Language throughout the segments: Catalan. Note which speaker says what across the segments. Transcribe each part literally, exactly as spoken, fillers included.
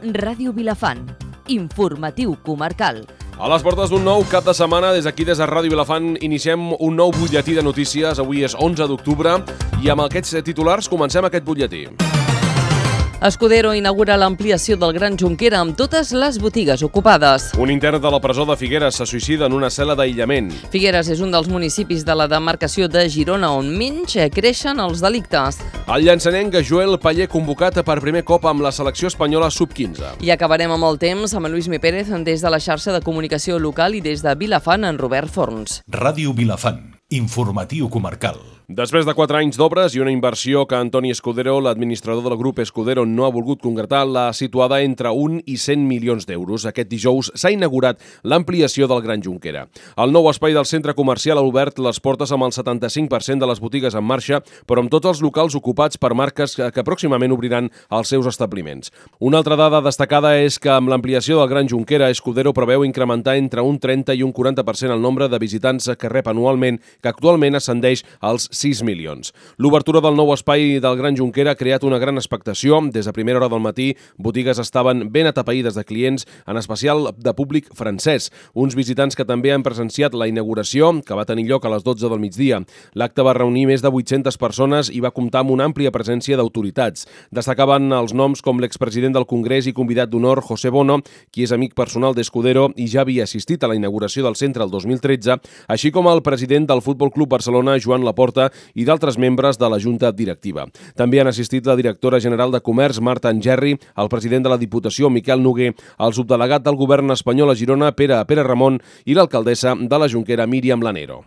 Speaker 1: Ràdio Vilafant, informatiu comarcal.
Speaker 2: A les portes d'un nou cap de setmana, des d'aquí, des de Ràdio Vilafant, iniciem un nou butlletí de notícies. Avui és onze d'octubre i amb aquests titulars comencem aquest butlletí.
Speaker 1: Escudero inaugura l'ampliació del Gran Junquera amb totes les botigues ocupades.
Speaker 2: Un intern de la presó de Figueres se suïcida en una cel·la d'aïllament.
Speaker 1: Figueres és un dels municipis de la demarcació de Girona on menys creixen els delictes.
Speaker 2: El llançanenc Joel Paller convocat per primer cop amb la selecció espanyola sub quinze.
Speaker 1: I acabarem amb el temps amb en Lluís Mi Pérez des de la xarxa de comunicació local i des de Vilafant en Robert Forns.
Speaker 3: Ràdio Vilafant, informatiu comarcal.
Speaker 2: Després de quatre anys d'obres i una inversió que Antoni Escudero, l'administrador del grup Escudero, no ha volgut concretar, l'ha situada entre un i cent milions d'euros. Aquest dijous s'ha inaugurat l'ampliació del Gran Junquera. El nou espai del centre comercial ha obert les portes amb el setanta-cinc per cent de les botigues en marxa, però amb tots els locals ocupats per marques que pròximament obriran els seus establiments. Una altra dada destacada és que amb l'ampliació del Gran Junquera, Escudero preveu incrementar entre un trenta i un quaranta per cent el nombre de visitants que rep anualment, que actualment ascendeix als sis milions. L'obertura del nou espai del Gran Junquera ha creat una gran expectació. Des de primera hora del matí, botigues estaven ben atapeïdes de clients, en especial de públic francès. Uns visitants que també han presenciat la inauguració, que va tenir lloc a les dotze del migdia. L'acte va reunir més de vuit-centes persones i va comptar amb una àmplia presència d'autoritats. Destacaven els noms com l'expresident del Congrés i convidat d'honor José Bono, qui és amic personal d'Escudero i ja havia assistit a la inauguració del centre el dos mil tretze, així com el president del Futbol Club Barcelona, Joan Laporta, i d'altres membres de la Junta Directiva. També han assistit la directora general de Comerç, Marta Angerri, el president de la Diputació, Miquel Noguer, el subdelegat del govern espanyol a Girona, Pere Pere Ramon, i l'alcaldessa de la Junquera, Míriam Lanero.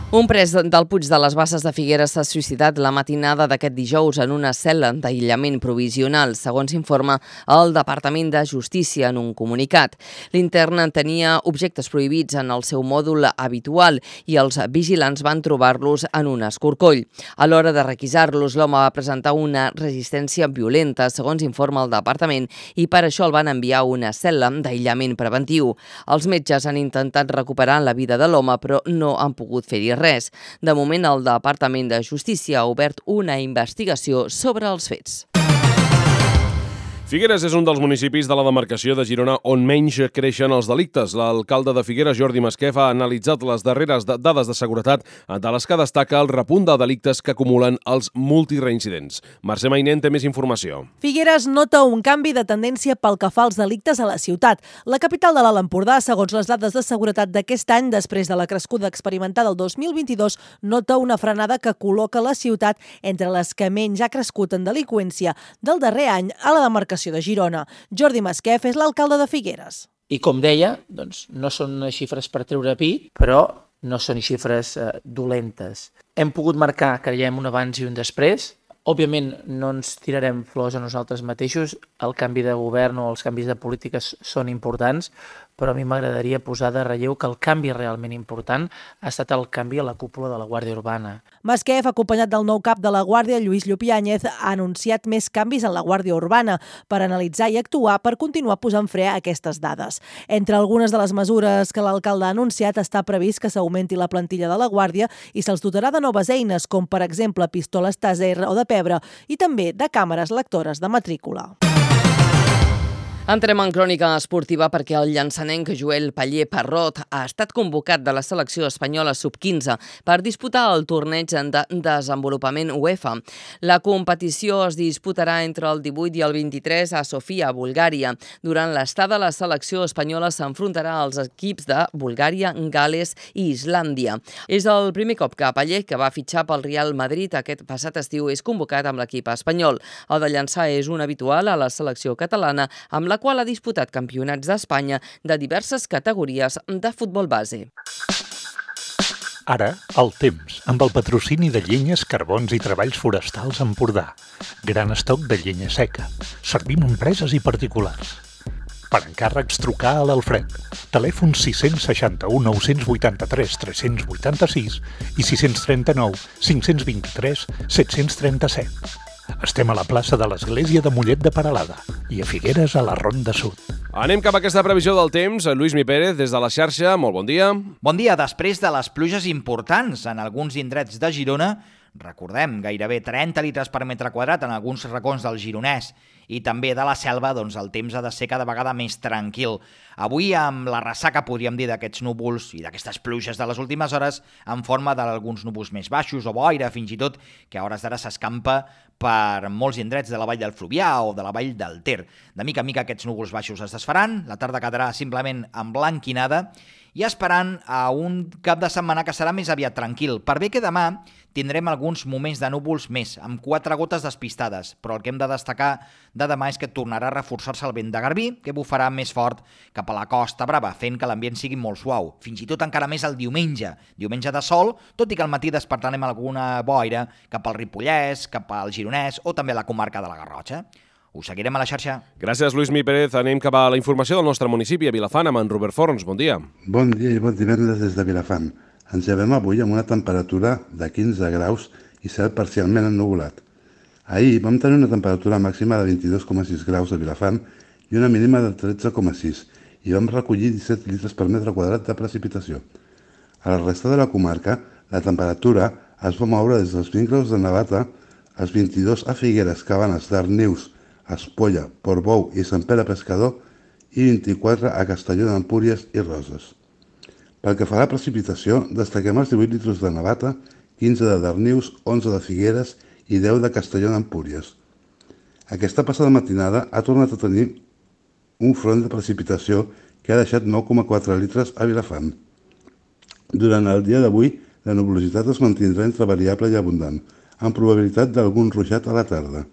Speaker 1: Un pres del Puig de les Basses de Figueres s'ha suïcidat la matinada d'aquest dijous en una cel·la d'aïllament provisional, segons informa el Departament de Justícia en un comunicat. L'intern tenia objectes prohibits en el seu mòdul habitual i els vigilants van trobar-los en un escorcoll. A l'hora de requisar-los, l'home va presentar una resistència violenta, segons informa el Departament, i per això el van enviar a una cel·la d'aïllament preventiu. Els metges han intentat recuperar la vida de l'home, però no han pogut fer-hi res. De moment, el Departament de Justícia ha obert una investigació sobre els fets.
Speaker 2: Figueres és un dels municipis de la demarcació de Girona on menys creixen els delictes. L'alcalde de Figueres, Jordi Masquef, ha analitzat les darreres dades de seguretat, de les que destaca el repunt de delictes que acumulen els multireincidents. Mercè Mainent té més informació.
Speaker 4: Figueres nota un canvi de tendència pel que fa als delictes a la ciutat. La capital de l'Alt Empordà, segons les dades de seguretat d'aquest any, després de la crescuda experimentada el dos mil vint-i-dos, nota una frenada que col·loca la ciutat entre les que menys ha crescut en delinqüència del darrer any a la demarcació de Girona. Jordi Masquef és l'alcalde de Figueres.
Speaker 5: I com deia, doncs, no són xifres per treure pit, però no són xifres eh, dolentes. Hem pogut marcar, creiem, un abans i un després. Òbviament no ens tirarem flors a nosaltres mateixos, el canvi de govern o els canvis de polítiques són importants, però a mi m'agradaria posar de relleu que el canvi realment important ha estat el canvi a la cúpula de la Guàrdia Urbana.
Speaker 4: Masquef, acompanyat del nou cap de la Guàrdia, Lluís Llupiáñez, ha anunciat més canvis en la Guàrdia Urbana per analitzar i actuar per continuar posant fre a aquestes dades. Entre algunes de les mesures que l'alcalde ha anunciat està previst que s'augmenti la plantilla de la Guàrdia i se'ls dotarà de noves eines, com per exemple pistoles Taser o de pebre, i també de càmeres lectores de matrícula.
Speaker 1: Entrem en crònica esportiva perquè el llançanenc Joel Paller Parrot ha estat convocat de la selecció espanyola sub quinze per disputar el torneig de desenvolupament UEFA. La competició es disputarà entre el divuit i el vint-i-tres a Sofia, Bulgària. Durant l'estada, la selecció espanyola s'enfrontarà als equips de Bulgària, Gal·les i Islàndia. És el primer cop que Paller, que va fitxar pel Real Madrid aquest passat estiu, és convocat amb l'equip espanyol. El de llançar és un habitual a la selecció catalana, amb la qual ha disputat campionats d'Espanya de diverses categories de futbol base.
Speaker 6: Ara, el temps, amb el patrocini de Llenyes, Carbons i Treballs Forestals Empordà. Gran estoc de llenya seca. Servim a empreses i particulars. Per encàrrecs, trucar a l'Alfred. Telèfon sis seixanta-u nou vuitanta-tres tres vuitanta-sis i sis trenta-nou cinc vint-i-tres set trenta-set. Estem a la plaça de l'Església de Mollet de Peralada i a Figueres a la Ronda Sud.
Speaker 2: Anem cap a aquesta previsió del temps. Lluís Mi Pérez, des de la xarxa, molt bon dia.
Speaker 7: Bon dia. Després de les pluges importants en alguns indrets de Girona, Recordem, gairebé trenta litres per metre quadrat en alguns racons del Gironès i també de la Selva, doncs el temps ha de ser cada vegada més tranquil. Avui, amb la ressaca, podríem dir, d'aquests núvols i d'aquestes pluges de les últimes hores, en forma d'alguns núvols més baixos o boira, fins i tot, que a hores d'ara s'escampa per molts indrets de la vall del Fluvià o de la vall del Ter. De mica en mica aquests núvols baixos es desfaran, la tarda quedarà simplement emblanquinada i esperant a un cap de setmana que serà més aviat tranquil. Per bé que demà tindrem alguns moments de núvols més, amb quatre gotes despistades, però el que hem de destacar de demà és que tornarà a reforçar-se el vent de Garbí, que bufarà més fort cap a la Costa Brava, fent que l'ambient sigui molt suau. Fins i tot encara més el diumenge. Diumenge de sol, tot i que al matí despertarem alguna boira cap al Ripollès, cap al Gironès o també a la comarca de la Garrotxa. Us seguirem a la xarxa.
Speaker 2: Gràcies, Lluís Mi Pérez. Anem cap a la informació del nostre municipi, a Vilafant, amb en Robert Forns. Bon dia.
Speaker 8: Bon dia i bon divendres des de Vilafant. Ens llevem avui amb una temperatura de quinze graus i cel parcialment ennuvolat. Ahir vam tenir una temperatura màxima de vint-i-dos coma sis graus a Vilafant i una mínima de tretze coma sis i vam recollir disset litres per metre quadrat de precipitació. A la resta de la comarca, la temperatura es va moure des dels vint graus de Navata als vint-i-dos a Figueres, Cabanes, Darnius, Espolla, Portbou i Sant Pere Pescador i vint-i-quatre a Castelló d'Empúries i Roses. Pel que fa a la precipitació, destaquem els divuit litres de Navata, quinze de Darnius, onze de Figueres i deu de Castelló d'Empúries. Aquesta passada matinada ha tornat a tenir un front de precipitació que ha deixat nou coma quatre litres a Vilafant. Durant el dia d'avui, la nuvolositat es mantindrà entre variable i abundant, amb probabilitat d'algun ruixat a la tarda.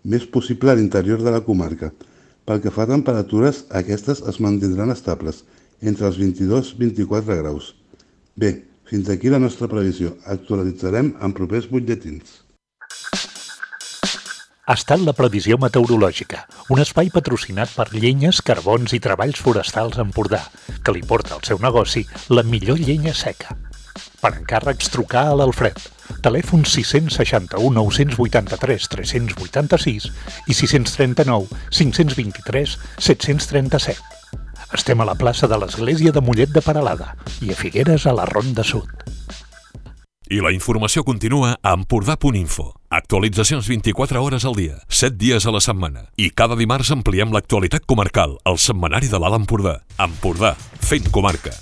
Speaker 8: Més possible a l'interior de la comarca. Pel que fa a temperatures, aquestes es mantindran estables, entre els vint-i-dos i vint-i-quatre graus. Bé, fins aquí la nostra previsió. Actualitzarem en propers butlletins.
Speaker 6: Ha estat la previsió meteorològica, un espai patrocinat per Llenyes, Carbons i Treballs Forestals Empordà, que li porta al seu negoci la millor llenya seca. Per encàrrecs, trucar a l'Alfred. Telèfon sis seixanta u nou vuitanta tres tres vuitanta sis i sis trenta nou cinc vint tres set trenta set. Estem a la plaça de l'Església de Mollet de Peralada i a Figueres a la Ronda Sud.
Speaker 9: I la informació continua a empordà punt info. Actualitzacions vint-i-quatre hores al dia, set dies a la setmana. I cada dimarts ampliem l'actualitat comarcal al setmanari de l'Alt Empordà. Empordà, fent comarca.